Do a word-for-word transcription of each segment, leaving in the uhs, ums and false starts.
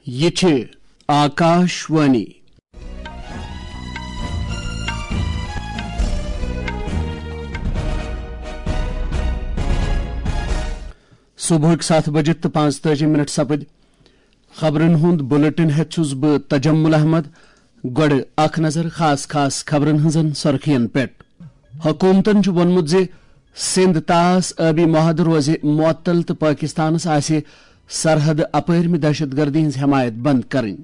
یہِ چھِ آکاش وانی۔ صبحٕکۍ ستھ بجہِ تہٕ پانٛژتٲجی منٹ سپٕدۍ۔ خبرن ہُنٛد بلیٹن ہٮ۪تھ چھُس بہٕ تجمل احمد۔ گۄڈٕ اکھ نظر خاص خاص خبرن ہٕنٛزن سرخین پٮ۪ٹھ۔ حکومتن چھُ ووٚنمُت زِ سندھ طاس آبی معاہدٕ روزِ معطل تہٕ پٲکستانس آسہِ سرحد اپٲرمہِ دہشت گردی ہٕنٛز حمایت بند کرٕنۍ۔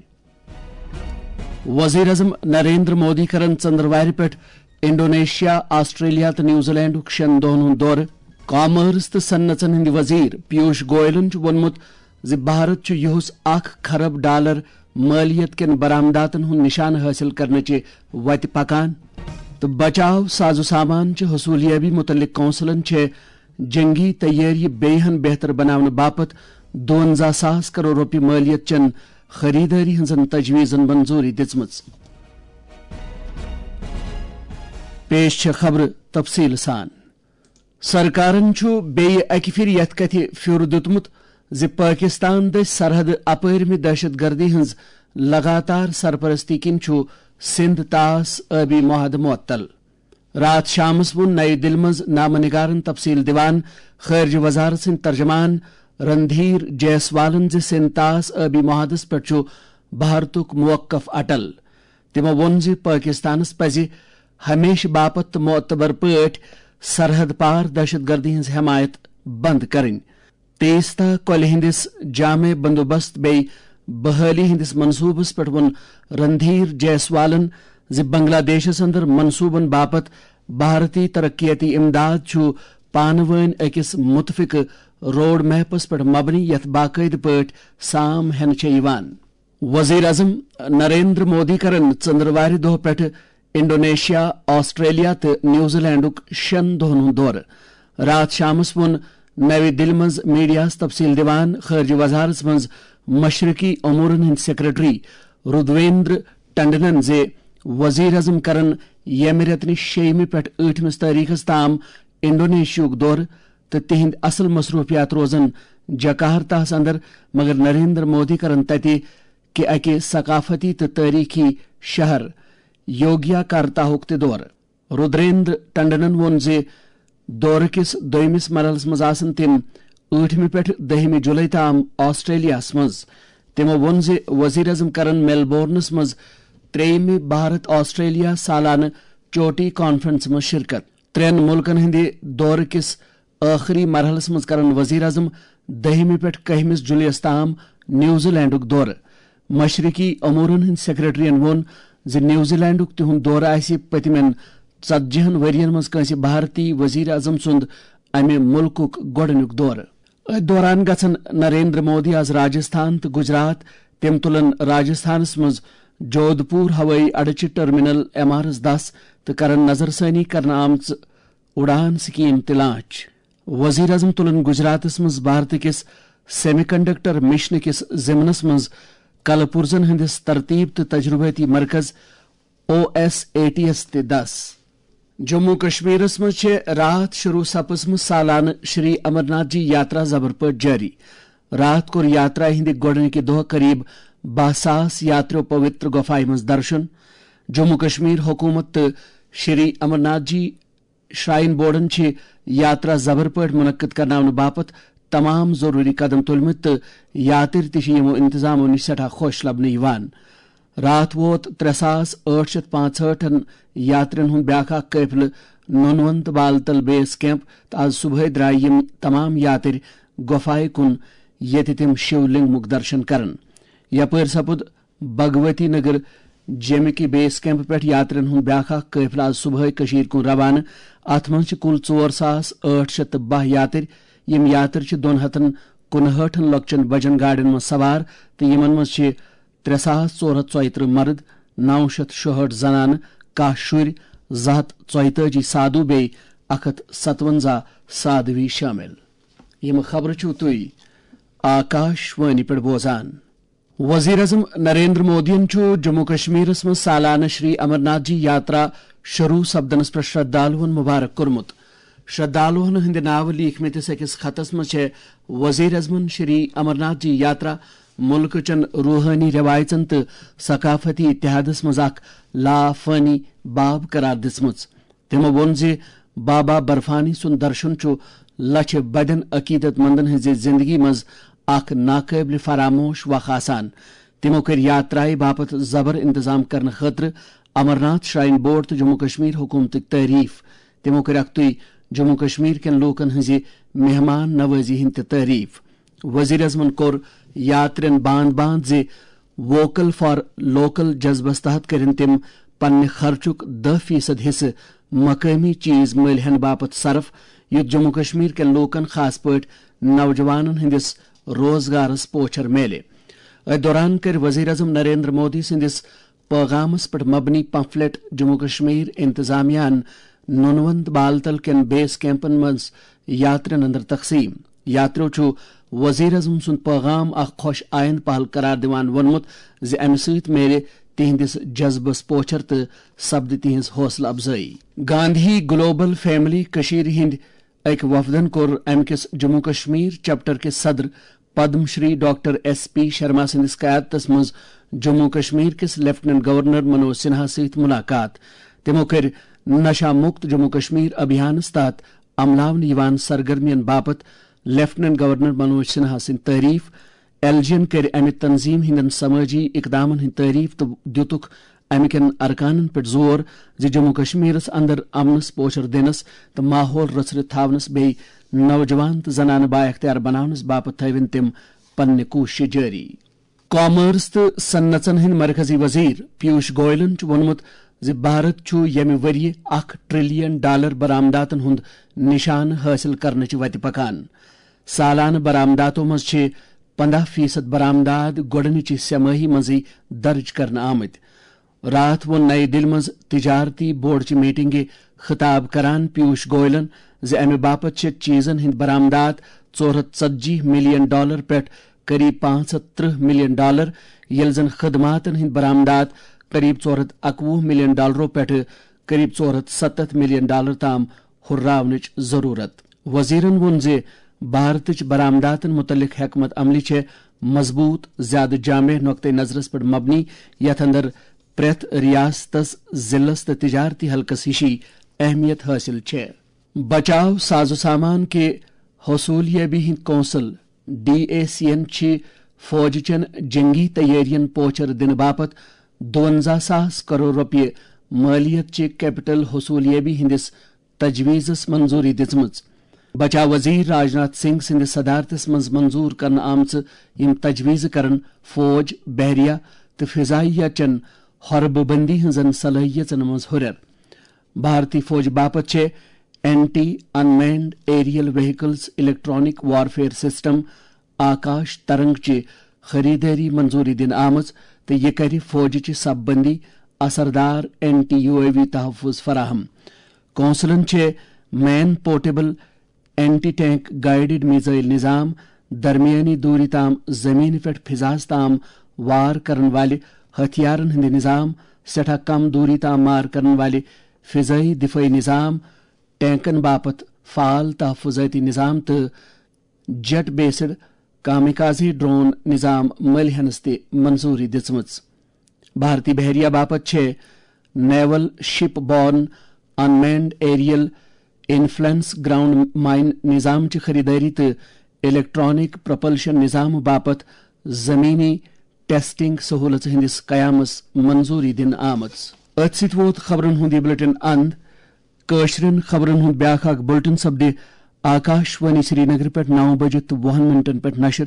وزیر اعظم نریندر مودی کرن ژندروارِ پٮ۪ٹھ انڈونیشیا، آسٹریلیا تہٕ نیوزی لینڈُک شٮ۪ن دۄہن ہُنٛد دورٕ۔ کامٲرس تہٕ صنعژن ہٕنٛدۍ وزیر پیوش گوئلن چھُ ووٚنمُت زِ بھارت چھُ یِہُس اکھ کھرب ڈالر مٲلیت کٮ۪ن برآمداتن ہُنٛد نشانہٕ حٲصِل کرنٕچہِ وتہِ پکان۔ تہٕ بچاو ساز و سامان چہِ حصولیابی متعلق کونسلن چھےٚ جنگی تیٲری بیٚیہِ ہن بہتر بناونہٕ باپتھ دُونزہ ساس کرور رۄپیہِ مٲلیت چٮ۪ن خریدٲری ہٕنٛزن تجویزن منظوری دِژمٕژ۔ پیش چھےٚ خبرٕ تفصیٖل سان۔ سرکارن چھُ بیٚیہِ اکہِ پھِرِ یتھ کتھِ پھیُر دیُتمُت زِ پٲکستان دٔسۍ سرحد اپٲرمہِ دہشت گردی ہٕنٛز لگاتار سرپرستی کِنۍ چھُ سندھ طاس آبی معاہدٕ معطل۔ راتھ شامس ووٚن نَیہِ دِلہِ منٛز نامہ نگارن تفصیل دِوان خارجہ وزارت سٕنٛدۍ ترجمان رندھیر جیسوالن زِ سندھ طاس آبی معاہدس پٮ۪ٹھ چھُ بھارتُک موقف اٹل۔ تِمو ووٚن زِ پٲکستانس پزِ ہمیشہٕ باپتھ تہٕ معتبر پٲٹھۍ سرحد پار دہشت گردی ہٕنٛز حمایت بند کرٕنۍ۔ تیستا کۄلہِ ہٕنٛدِس جامع بندوبست بیٚیہِ بحالی ہٕنٛدِس منصوبس پٮ۪ٹھ ووٚن رندھیر جیسوالن زِ بنگلہ دیشس اندر منصوبن باپتھ بھارتی ترقیتی امداد چھُ پانہٕ وٲنۍ أکِس متفقہٕ روڈ میپس پٮ۪ٹھ مبنی یتھ باقٲعدٕ پٲٹھۍ سام ہٮ۪نہٕ چھےٚ یِوان۔ وزیر اعظم نریندر مودی کرن ژندروارِ دۄہ پٮ۪ٹھٕ انڈونیشیا، آسٹریلیا تہٕ نیوزی لینڈُک شٮ۪ن دۄہن ہُنٛد دورٕ۔ راتھ شامس ووٚن نَوِ دِلہِ منٛز میڈیاہَس تفصیل دِوان خارجہ وزارتس منٛز مشرقی امورن ہٕنٛدۍ سیکرٹری رودویندر ٹنڈنن زِ وزیر اعظم کرن ییٚمہِ رٮ۪تہٕ نہِ شیٚیِمہِ پٮ۪ٹھ ٲٹھمِس تٲریخس تام انڈونیشیاہُک دورٕ تہٕ تِہنٛدۍ اصل مصروفیات روزن جکارتاہس اندر، مگر نریندر مودی کرن تتہِ کہِ اکہِ ثقافتی تہٕ تٲریخی شہر یوگیاکارتاہُک تہِ دورٕ۔ رودریندر ٹنڈنن ووٚن زِ دورٕ کِس دوٚیمِس مرحلس منٛز آسن تِم ٲٹھمہِ پٮ۪ٹھ دٔہمہِ جولائی تام آسٹریلیاہس منٛز۔ تِمو ووٚن زِ وزیر اعظم کرن میلبورنس منٛز ترٛیٚیِمہِ بھارت آسٹریلیا سالانہٕ چوٹی کانفرنسہِ منٛز شرکت۔ ترٛٮ۪ن مُلکن ہٕنٛدِ دورٕ کِس ٲخری مرحلس منٛز کرن وزیر اعظم دٔہمہِ پٮ۪ٹھ کٔہمِس جولائی یَس تام نیوزی لینڈُک دورٕ۔ مشرقی امورن ہٕنٛدۍ سیکرٹریَن ووٚن زِ نیوزی لینڈُک تِہُنٛد دورٕ آسہِ پٔتمٮ۪ن ژتجی ہن ؤرین منٛز کٲنٛسہِ بھارتی وزیر اعظم سُنٛد امہِ مُلکُک گۄڈٕنیُک دورٕ۔ أتھۍ دوران گژھن نریندر مودی آز راجستھان تہٕ گجرات۔ تِم تُلن راجستھانس منٛز جودھپور ہوٲیی اڈٕ چہِ ٹرمینل ایم آر ایس دس تہٕ کرن نظر ثٲنی کرنہٕ آمژٕ اُڑان سکیم تہِ لانچ۔ وزیر اعظم تُلن گجراتس منٛز بھارت کِس سیمی کنڈکٹر مشنہٕ کِس ضمنس منٛز کلہٕ پُرزن ہٕنٛدِس ترتیب تہٕ تجربٲتی مرکز او ایس اے ٹی یس تہِ دس۔ جموں کشمیرس منٛز چھےٚ راتھ شروع سپٕزمٕژ سالانہٕ شری امرناتھ جی یاترا زبر پٲٹھۍ جٲری۔ راتھ کوٚر یاترا ہٕنٛدِ گۄڈٕنِکہِ دۄہ قریب باہ ساس یاتریو پوتر گۄپھایہِ منٛز درشن۔ جموں کشمیر حکومت تہٕ شری امرناتھ جی شراین بورڈن چھِ یاترا زبر پٲٹھۍ منعقد کرناونہٕ باپتھ تمام ضروری قدم تُلمٕتۍ تہٕ یاترۍ تہِ چھِ یِمو انتظامو نِش سٮ۪ٹھاہ خۄش لبنہٕ یِوان۔ راتھ ووت ترٛےٚ ساس ٲٹھ شیٚتھ پانٛژہٲٹھن یاترین ہُنٛد بیاکھ اکھ قٲفلہٕ نونون تہٕ بالتل بیس کیمپ تہٕ آز صبحٲے درٛاے یِم تمام یاترۍ گۄپھایہِ کُن، ییٚتہِ تِم شِو لنگمُک درشن کرن۔ یپٲرۍ سپُد بھگوتی نگر جیمہِ کہِ بیس کیمپ پٮ۪ٹھ یاترین ہُنٛد بیاکھ اکھ قٲفلہٕ آز صبحٲے کٔشیٖرِ کُن روانہٕ۔ اتھ منٛز چھِ کُل ژور ساس ٲٹھ شیٚتھ تہٕ باہ یاترۍ۔ یِم یاترۍ چھِ دۄن ہتن کُنہٲٹھن لۄکچن بجن گاڑٮ۪ن منٛز سوار تہٕ یِمن منٛز چھِ ترٛےٚ ساس ژور ہتھ ژۄیہِ ترٕٛہ مرد، نو شیٚتھ شُہٲٹھ زنانہٕ، کاہ شُرۍ، زٕ ہتھ ژۄیتٲجی سادھو بیٚیہِ اکھ ہتھ ستونزہ سادھوی شٲمِل۔ یِم خبرٕ چھِو تُہۍ آکاش وانی پٮ۪ٹھ بوزان۔ وزیر اعظم نریندر مودیَن چھُ جموں کشمیرس منٛز سالانہٕ شری امرناتھ جی یاترا شروع سپدنس پٮ۪ٹھ شردھالوَن مبارک کوٚرمُت۔ شردھالوَن ہٕنٛدِ ناوٕ لیٖکھمٕتِس أکِس خطس منٛز چھےٚ وزیر اعظمَن شری امرناتھ جی یاترا ملکہٕ چٮ۪ن روحٲنی رٮ۪وایژن تہٕ ثقافتی اتحادس منٛز اکھ لافٲنی باب قرار دِژمٕژ۔ تِمو ووٚن زِ بابا برفانی سُنٛد درشن چھُ لچھِ بٔدٮ۪ن عقیدت مندن ہٕنٛزِ زندگی منٛز اکھ ناقٲبلِ فراموش وق آسان۔ تِمو کٔرۍ یاترایہِ باپتھ زبر انتظام کرنہٕ خٲطرٕ امرناتھ شراین بورڈ تہٕ جموں کشمیر حکومتٕکۍ تعریف۔ تِمو کٔرۍ اکھتُے جموں کشمیر کٮ۪ن لوٗکن ہٕنٛزِ مہمان نوازی ہٕنٛدۍ تہِ تعریف۔ وزیر اعظمن کوٚر یاترین باند باند زِ ووکل فار لوکل جذبس تحت کٔرِن تِم پننہِ خرچُک دَہ فیصد حصہٕ مقٲمی چیز مٔلۍ ہٮ۪نہٕ باپتھ صرف، یُتھ جموں کشمیر کٮ۪ن لوٗکن، خاص پٲٹھۍ نوجوانن ہٕنٛدِس روزگارس پوچھر میلہِ۔ أتھۍ دوران کٔرۍ وزیر اعظم نریندر مودی سٕنٛدِس پیغامس پٮ۪ٹھ مبنی پمفلٹ جموں کشمیر انتظامیہ ہن نونوند بالتل کٮ۪ن بیس کیمپن منٛز یاترین اندر تقسیم۔ یاتریو چھُ وزیر اعظم سُنٛد پیغام اکھ خۄش آیند پہل قرار دِوان ووٚنمُت زِ امہِ سۭتۍ میلہِ تِہنٛدِس جذبس پوچھر تہٕ سپدِ تِہنٛز حوصلہٕ افزٲیی۔ گاندھی گلوبل فیملی کٔشیٖرِ ہٕنٛدۍ أکۍ وفدن کوٚر امہِ کِس جموں کشمیر چیپٹر کِس صدر Padma Shri doctor S P Sharma سٕنٛدِس قیادتس منٛز جموں کشمیر کِس لیفٹیننٹ گورنر منوج سنہا سۭتۍ ملاقات۔ تِمو کٔرۍ نشہ مکت جموں کشمیر ابھیانس تحت عملاونہٕ یِوان سرگرمین باپتھ لیفٹیننٹ گورنر منوج سنہا سٕنٛدۍ تعریف۔ ایل جی ین کٔرۍ امہِ تنظیم ہٕنٛدٮ۪ن سمٲجی اقدامن ہٕنٛدۍ تعریف تہٕ دِتُکھ امہِ کٮ۪ن ارکانن پٮ۪ٹھ زور زِ جموں کشمیرس اندر امنس پوچھر دِنس تہٕ ماحول رژھرِتھ تھاونس بیٚیہِ نوجوان تہٕ زنانہٕ بااختیار بناونس باپتھ تھٲوِن تِم پننہِ کوٗششہٕ جٲری۔ کامرس تہٕ صنعژن ہٕنٛدۍ مرکزی وزیر پیوش گوئلن چھُ ووٚنمُت زِ بھارت چھُ ییٚمہِ ؤرۍ یہِ اکھ ٹریلین ڈالر برآمداتن ہُنٛد نشانہٕ حٲصِل کرنٕچ وتہِ پکان۔ سالانہٕ برآمداتو منٛز چھِ پنٛداہ فیصد برآمدات گۄڈٕنِچہِ سہ ماہی منٛزٕے درٕج کرنہٕ آمٕتۍ۔ راتھ ووٚن نَیہِ دِلہِ منٛز تجارتی بورڈچہِ میٹنگہِ خطاب کران پیوش گوئلن زِ امہِ باپتھ چھِ چیزن ہٕنٛدۍ برآمدات ژور ہتھ ژتجی ملین ڈالر پٮ۪ٹھ قریب پانٛژھ ہتھ ترٕہ ملین ڈالر، ییٚلہِ زن خدماتن ہٕنٛدۍ برآمدات قریب ژور ہتھ اکوُہ ملین ڈالرو پٮ۪ٹھ قریب ژور ہتھ ستتھ ملین ڈالر تام ہُرراونٕچ ضروٗرت۔ وزیرن ووٚن زِ بھارتٕچ برآمداتن مُتعلق حکمت عملی چھےٚ مضبوٗط، زیادٕ جامع نقطہٕ نظرس پٮ۪ٹھ مبنی، یتھ اندر پرٛٮ۪تھ ریاستس، ضلعس تہٕ تجارتی حلقس ہِشی اہمیت حٲصِل چھےٚ۔ بچاو ساز و سامان کہِ حصولیابی ہٕنٛدۍ کونسل، ڈی اے سی ین چھِ فوج چٮ۪ن جنگی تیٲرین پوچھر دِنہٕ باپتھ دُونزہ ساس کرور رۄپیہِ مٲلیت چہِ کیپٹل حصولیابی ہٕنٛدِس تجویزس منظوری دِژمٕژ۔ بچاو وزیر راجناتھ سنگھ سٕنٛدِس صدارتس منٛز منظور کرنہٕ آمژٕ یِم تجویزٕ کرن فوج، بحریہ تہٕ فضائیہ چٮ۪ن حربہٕ بندی ہٕنٛزن صلٲحیژن منٛز ہُرٮ۪ر۔ بھارتی فوج باپتھ چھےٚ anti unmanned aerial vehicles electronic warfare system Akash Tarang چہِ خریدٲری منظوری دِنہٕ آمٕژ تہٕ یہِ کرِ فوجچہِ صف بندی اثردار اینٹی یو اے وی تحفظ فراہم۔ کونسلن چھےٚ man portable anti tank guided missile نظام، درمیانی دوری تام زمینہِ پٮ۪ٹھ فضاہس تام وار کرن والہِ ہتھیارن ہٕنٛدِ نظام، سٮ۪ٹھاہ کم دوری تام مار کرن والہِ فضائی دفاعی نظام، ٹینکن باپتھ فعال تحفظٲتی نظام تہٕ جیٹ بیسڈ کامیکازی ڈرون نظام مٔلۍ ہٮ۪نس تہِ منظوری دِژمٕژ۔ بھارتی بحریہ باپتھ چھےٚ نیول شپ born انمینڈ aerial influence ground mine نظام چہِ خریدٲری تہٕ الیکٹرانک پروپلشن نظام باپتھ زمینی ٹیسٹنگ سہولژ ہٕنٛدِس قیامس منظوری دِنہٕ آمٕژ۔ أتھۍ سۭتۍ ووت خبرن ہُنٛد یہِ بلیٹن اند۔ کٲشرٮ۪ن خبرن ہُنٛد بیٛاکھ اکھ بلیٹن سپدِ آکاش وانی سرینگر پٮ۪ٹھ نو بجہِ تہٕ وُہن منٹن پٮ۪ٹھ نشر۔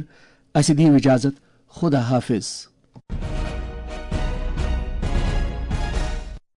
اسہِ دِیِو اجازت۔ خدا حافظ۔